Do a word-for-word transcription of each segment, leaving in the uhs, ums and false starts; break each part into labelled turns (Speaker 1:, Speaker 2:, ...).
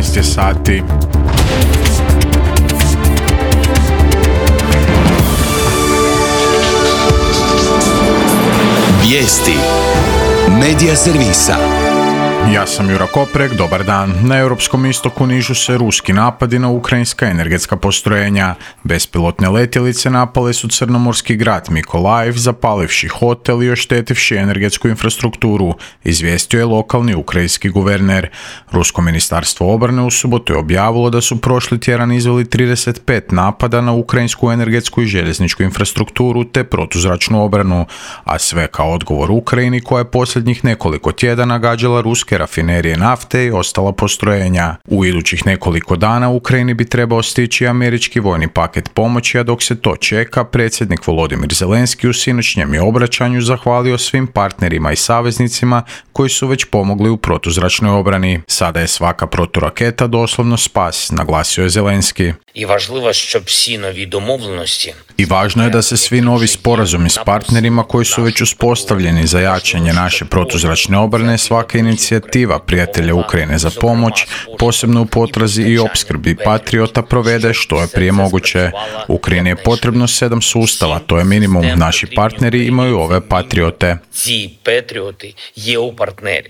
Speaker 1: jedanaest je sati.
Speaker 2: Vijesti Medija servisa.
Speaker 1: Ja sam Jura Koprek, dobar dan. Na europskom istoku nižu se ruski napadi na ukrajinska energetska postrojenja. Bespilotne letjelice napale su crnomorski grad Mikolajev, zapalivši hotel i oštetivši energetsku infrastrukturu, izvijestio je lokalni ukrajinski guverner. Rusko ministarstvo obrane u subotu je objavilo da su prošli tjedan izveli trideset pet napada na ukrajinsku energetsku i željezničku infrastrukturu te protuzračnu obranu, a sve kao odgovor Ukrajini koja je posljednjih nekoliko tjedana gađala ruske rafinerije nafte i ostala postrojenja. U idućih nekoliko dana Ukrajini bi trebao stići američki vojni paket pomoći, a dok se to čeka, predsjednik Volodimir Zelenski u sinoćnjem je obraćanju zahvalio svim partnerima i saveznicima koji su već pomogli u protuzračnoj obrani. Sada je svaka proturaketa doslovno spas, naglasio je Zelenski.
Speaker 3: I važno щоб всі нові домовленості
Speaker 1: I važno je da se svi novi sporazumi s partnerima koji su već uspostavljeni za jačanje naše protuzračne obrane, svaka inicijativa prijatelja Ukrajine za pomoć, posebno u potrazi i opskrbi Patriota, provede što je prije moguće. Ukrajini je potrebno sedam sustava, to je minimum. Naši partneri imaju ove Patriote.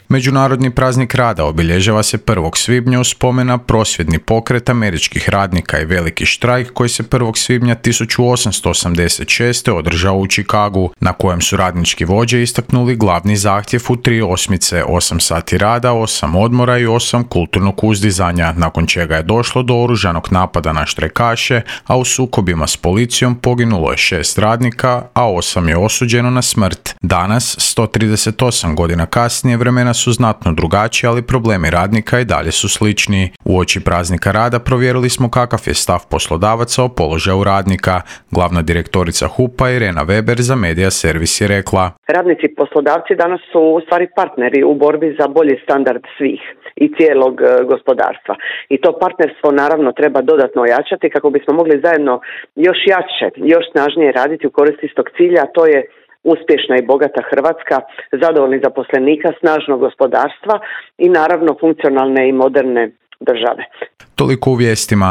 Speaker 1: Međunarodni praznik rada obilježava se prvog svibnja u spomen na prosvjedni pokret američkih radnika i veliki štrajk koji se prvog svibnja tisuću osamsto osamdeset šeste održao u Chicagu, na kojem su radnički vođe istaknuli glavni zahtjev u tri osmice, osam sati rada, osam odmora i osam kulturnog uzdizanja, nakon čega je došlo do oružanog napada na štrajkaše, a u sukobima s policijom poginulo je šest radnika, a osam je osuđeno na smrt. Danas, sto trideset osam godina kasnije, vremena su znatno drugačije, ali problemi radnika i dalje su slični. Uoči praznika rada provjerili smo kakav je stav poslodavaca o položaju radnika. Glavna direktorica H U P-a Irena Weber za Medija servis je rekla:
Speaker 4: Radnici i poslodavci danas su u stvari partneri u borbi za bolji standard svih i cijelog gospodarstva. I to partnerstvo naravno treba dodatno ojačati kako bismo mogli zajedno još jače, još snažnije raditi u korist istog cilja, a to je uspješna i bogata Hrvatska, zadovoljnih zaposlenika, snažno gospodarstva i naravno funkcionalne i moderne države.
Speaker 1: Toliko u vijestima.